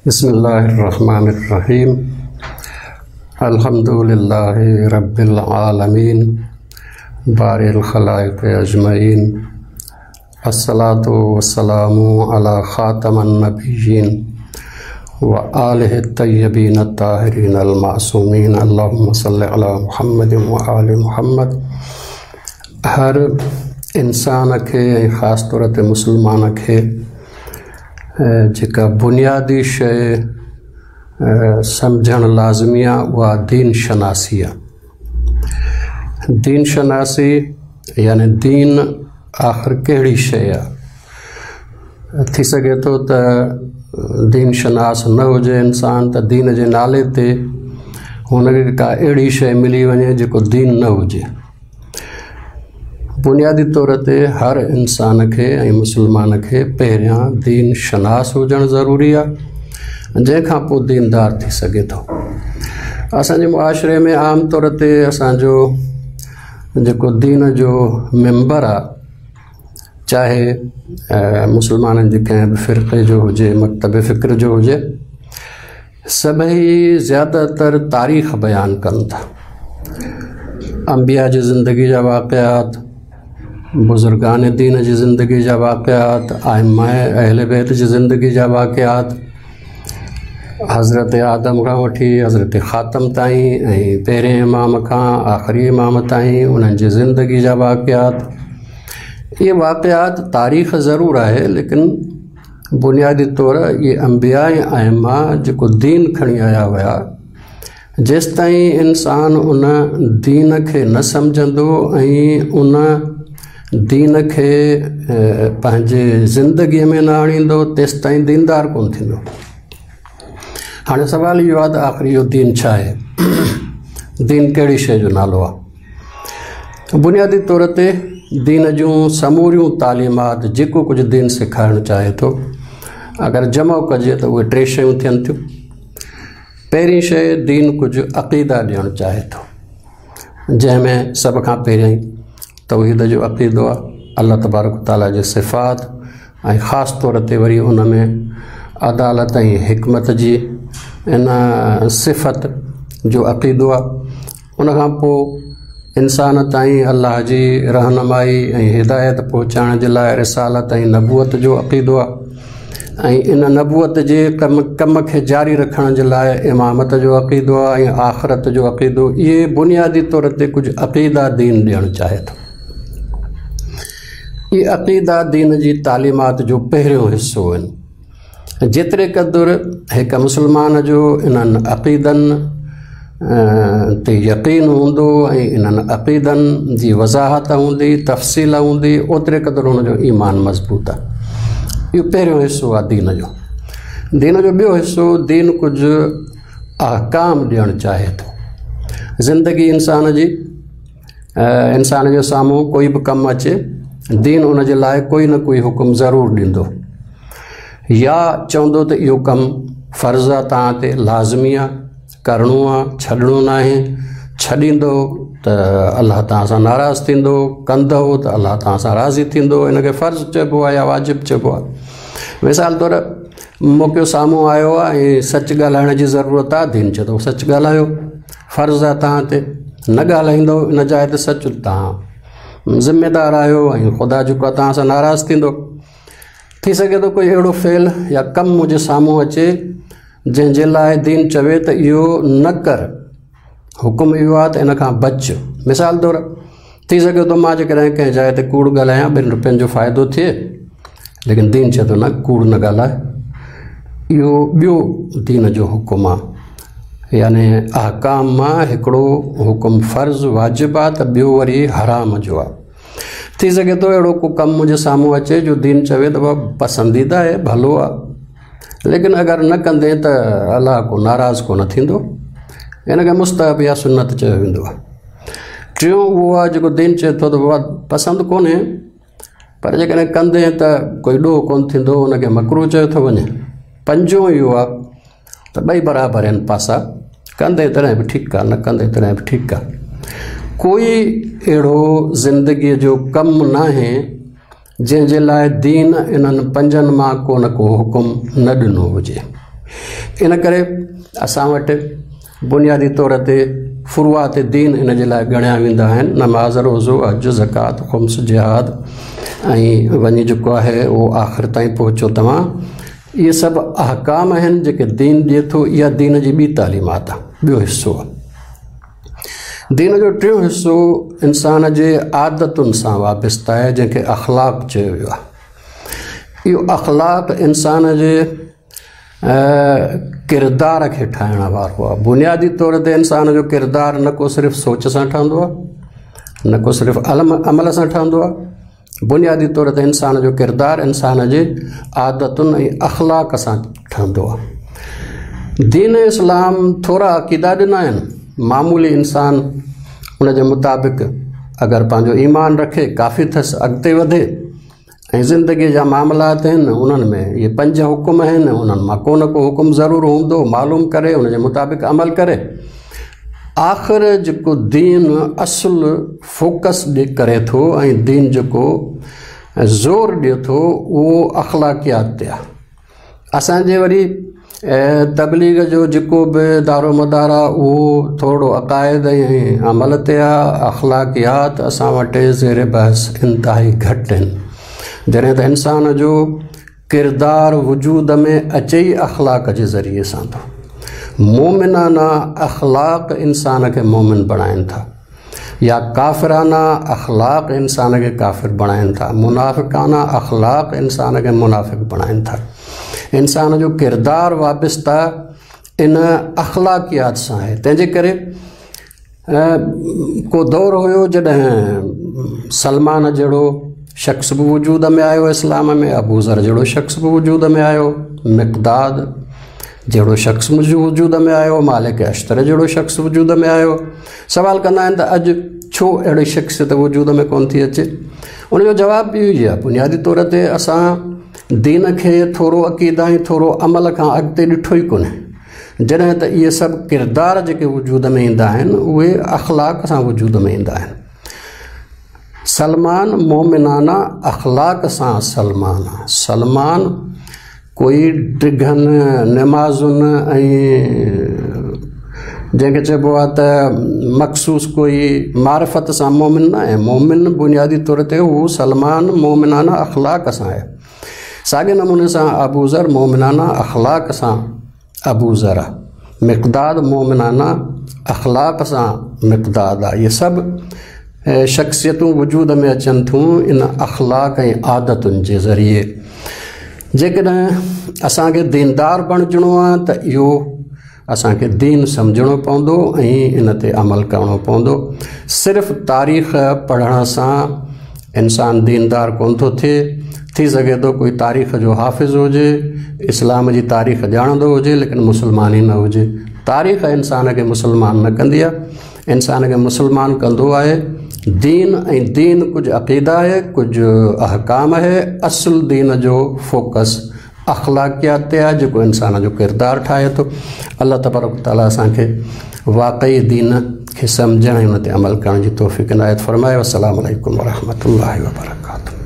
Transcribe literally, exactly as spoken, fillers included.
बिस्मिल्लाहिर्रहमानिर्रहीम। अल्हम्दुलिल्लाहि रब्बिल आलमीन बारिल खलाइक़ अजमईन। अस्सलातु वस्सलामु अला ख़ातमन नबिय्यीन व आलिहि तय्यबीन अत्ताहिरीन अल मासूमीन। अल्लाहुम्मा सल्लि अला मुहम्मद व आलि मुहम्मद। हर इंसान खे ऐं ख़ासि तौर ते मुस्लमान खे जेका बुनियादी शइ सम्झणु लाज़मी आहे उहा दीन शनासी आहे। दीन शनासी यानी दीन आख़िर कहिड़ी शइ आहे। थी सघे थो त दीन शनास न हुजे इंसान त दीन जे नाले ते हुनखे का अहिड़ी शइ मिली वञे जेको दीन न हुजे। बुनियादी तौर ते हर इंसान खे ऐं मुस्लमान खे पहिरियां दीन शनास हुजणु ज़रूरी आहे, जंहिंखां पोइ दीनदार थी सघे थो। असांजे मुआशरे में आम तौर ते असांजो जेको दीन जो मेंबर आहे, चाहे मुस्लमाननि जे कंहिं बि फ़िरक़े जो हुजे, मकतब फ़िक्र जो हुजे, सभई ज़्यादातर तारीख़ बयानु कनि था। अंबिया जी ज़िंदगी जा वाक़िआत, बुज़ुर्गान दीन जी ज़िंदगी जा वाक़िआत, आइमा अहल बैत जी ज़िंदगी जा वाक़िआत, हज़रत आदम खां वठी हज़रत ख़ातम ताईं ऐं पहिरें इमाम खां आख़िरी इमाम ताईं उन्हनि जी ज़िंदगी जा वाक़िआत। इहे वाक़िआत तारीख़ ज़रूरु आहे, लेकिन बुनियादी तौर इहे अंबिया ऐं आइमा जेको दीन खणी आया हुआ, जेसि ताईं इंसान उन दीन खे न सम्झंदो ऐं उन दीन खे पंहिंजे ज़िंदगीअ में न आणींदो, तेसि ताईं दीनदार कोन थींदो। हाणे सवालु इहो आहे त आख़िर इहो दीन छा आहे, दीन कहिड़ी शइ जो नालो आहे। बुनियादी तौर ते दीन जूं समूरियूं तालीमात जेको कुझु दीन सेखारणु चाहे थो, अगरि जमो कजे त उहे टे शयूं थियनि थियूं। पहिरीं शइ दीन कुझु अक़ीदा ॾियणु चाहे थो, जंहिंमें सभ खां पहिरियां तौहीद जो अक़ीदो आहे, अलाह तबारक ताला जे सिफ़ात ऐं ख़ासि तौर ते वरी उन में अदालत ऐं हिकमत जी इन सिफ़त जो अक़ीदो आहे। उन खां पोइ इंसान ताईं अलाह जी रहनुमाई ऐं हिदायत पहुचाइण जे लाइ रिसालत ऐं नबूअत जो अक़ीदो आहे ऐं इन नबूअत जे कम कम खे जारी रखण जे लाइ इमामत जो अक़ीदो आहे ऐं आख़िरत जो अक़ीदो। इहे बुनियादी तौर ते कुझु अक़ीदा दीन ॾियणु चाहे थो। इहे अक़ीदा दीन जी तालीमात जो पहिरियों हिसो आहिनि। जेतिरे क़दुरु हिकु मुस्लमान जो इन्हनि अक़ीदनि ते यकीन हूंदो ऐं इन्हनि अक़ीदनि जी वज़ाहत हूंदी, तफ़सील हूंदी, ओतिरे क़दुरु हुनजो ईमान मज़बूत आहे। इहो पहिरियों हिसो आहे दीन जो। दीन जो ॿियो हिसो दीन कुझु अहकाम ॾियणु चाहे थो। ज़िंदगी इंसान जी, इंसान जे साम्हूं कोई बि कमु अचे, दीन उन जे लाइ कोई न कोई हुकुम ज़रूरु ॾींदो या चवंदो त इहो कमु फ़र्ज़ आहे, तव्हां ते लाज़मी आहे, करिणो आहे, छॾिणो न आहे। छॾींदो त अलाह तव्हां सां नाराज़ थींदो, कंदो त अलाह तव्हां सां राज़ी थींदो। हिनखे फ़र्ज़ चइबो आहे या वाजिब चइबो आहे। मिसाल तौरु मौक़ो साम्हूं आयो आहे ऐं सच ॻाल्हाइण जी ज़रूरत आहे, दीन चए थो सच ॻाल्हायो, फ़र्ज़ आहे तव्हां ते। न ॻाल्हाईंदो इन जाइ ते सच, तव्हां ज़िम्मेदार आहियो ऐं ख़ुदा जेको आहे तव्हां सां नाराज़ थींदो। थी सघे थो कोई अहिड़ो फ़ेल या कमु मुंहिंजे साम्हूं अचे जंहिंजे लाइ दीन चवे त इहो न कर, हुकुम इहो आहे त इन खां बच। मिसाल तौरु थी सघे थो मां जेकॾहिं कंहिं जाइ ते कूड़ ॻाल्हायां, ॿिनि रुपयनि जो फ़ाइदो थिए, लेकिन दीन चए थो न, कूड़ न ॻाल्हाए। इहो ॿियो दीन जो हुकुम आहे। यानी अहकाम मां हिकिड़ो हुकुम फ़र्ज़ वाजिब आहे त ॿियो वरी हराम जो आहे। थी सघे थो अहिड़ो को कमु मुंहिंजे साम्हूं अचे जो दीन चवे त पसंदीदा आहे, भलो आहे, लेकिन अगरि न कंदे त अलाह को नाराज़ कोन थींदो। हिनखे मुस्तहब या सुन्नत चयो वेंदो आहे। टियों उहो आहे जेको दीन चए थो त बाबा पसंदि कोन्हे, पर जेकॾहिं कंदे त कोई ॾोह कोन थींदो, हुनखे मकरू चयो थो वञे। पंजों इहो आहे त ॿई बराबरि आहिनि पासा, कंदे तॾहिं बि ठीकु आहे, न कंदे तॾहिं बि ठीकु आहे। कोई अहिड़ो ज़िंदगीअ जो कमु नाहे जंहिंजे लाइ दीन इन्हनि पंजनि मां को न को हुकुम न ॾिनो हुजे। ان ڪري اسان وٽ بنيادي طور تي فروعات دين ان جي لاءِ ڳڻيا ويندا آهن. نماز، روزو، حج، زڪوات، خمس، جهاد ۽ وڃي جيڪو آهي اهو آخر تائين پهچو توهان. اهي سڀ احڪام آهن جيڪي دين ڏئي ٿو. اها دين جي ٻي تعليمات آهي، ٻيو حصو آهي. دين جو ٽيون حصو انسان جي عادتن سان وابسته آهي، جنهن کي اخلاق چيو ويو آهي. اهو اخلاق انسان جي ڪردار کي ٺاهڻ وارو آهي. بنيادي طور تي انسان جو ڪردار نه ڪو صرف سوچ سان ٺهندو آهي، نه ڪو صرف عمل سان ٺهندو آهي. بنيادي طور تي انسان جو ڪردار انسان جي عادتن ۽ اخلاق سان ٺهندو آهي. دين اسلام ٿورا عقيدا ڏنا آهن. معمولي انسان ان جي مطابق اگر پنهنجو ايمان رکي ڪافي اٿس اڳتي وڌي. ۽ زندگيءَ جا معاملات آهن انهن ۾ اهي پنج حڪم آهن، انهن مان ڪو نه ڪو حڪم ضرور هوندو، معلوم ڪري ان جي مطابق عمل ڪري. آخر جيڪو دين اصل فوڪس ڏي ڪري ٿو ۽ دين جيڪو زور ڏئي ٿو اهو اخلاقيات تي آهي. اسان جي وري تبليغ جو جيڪو به دارو مدار آهي اهو ٿورو عقائد ۽ عمل تي آهي. اخلاقيات اسان وٽ زير بحث انتهائي گهٽ آهن. جڏهن ته انسان جو ڪردار وجود ۾ اچي ئي اخلاق جي ذريعي سان ٿو. مومنانا اخلاق انسان کي مومن بڻائن ٿا يا ڪافرانا اخلاق انسان کي ڪافر بڻائن ٿا، منافقانا اخلاق انسان کي منافق بڻائن ٿا. انسان جو ڪردار وابسته ان اخلاقيات سان آهي. تنهن جي ڪري ڪو دور هيو جڏهن سلمان جهڙو شخص به وجود ۾ آيو اسلام ۾، ابو ذر جهڙو شخص به وجود ۾ آيو، مقداد جهڙو شخص وجود ۾ آيو، مالڪ اشتر جهڙو شخص وجود ۾ آيو. سوال ڪندا آهن ته اڄ ڇو اهڙي شخصيت وجود ۾ ڪونه ٿي اچي؟ ان جو جواب به اهو ئي آهي. بنيادي طور تي اسان دين کي ٿورو عقيده ۽ ٿورو عمل کان اڳتي ڏٺو ئي ڪونهي. جڏهن ته اهي سڀ ڪردار جيڪي وجود ۾ ايندا آهن اهي اخلاق سان وجود ۾ ايندا آهن. سلمان مومنانا اخلاق سان سلمان آهي. سلمان ڪوئي ڊگهن نمازن ۽ جنهن کي چئبو آهي ته مخصوص ڪوئي معرفت سان مومن نه آهي. مومن بنيادي طور تي هو سلمان مومنانا اخلاق سان آهي. ساڳي نموني سان ابو ذر مومنانا اخلاق سان ابو ذر آهي، مقداد مومنانا اخلاق سان مقداد آهي. اهي سڀ شخصيتون وجود ۾ اچن ٿيون ان اخلاق ۽ عادتن جي ذريعي. جيڪڏهن اسان کي ديندار بڻجڻو آهي ته اهو اسان کي دين سمجهڻو پوندو ۽ ان تي عمل ڪرڻو پوندو. صرف تاريخ پڙهڻ سان انسان ديندار ڪونه ٿو ٿئي. ٿي سگهي ٿو ڪوئي تاريخ جو حافظ هجي، اسلام جي تاريخ ڄاڻندو هجي، ليڪن مسلمان ئي نه هجي. تاريخ انسان کي مسلمان نه ڪندي آهي. انسان کي مسلمان ڪندو آهي دين، ۽ دين ڪجهه عقيده آهي، ڪجهه احڪام آهي. اصل دين جو فوڪس اخلاقيات تي آهي جيڪو انسان جو ڪردار ٺاهي ٿو. الله تبارڪ تعاليٰ اسان کي واقعي دين کي سمجهڻ ۽ ان تي عمل ڪرڻ جي توفيق عنايت فرمائي. والسلام عليڪم ورحمة الله وبرڪاته.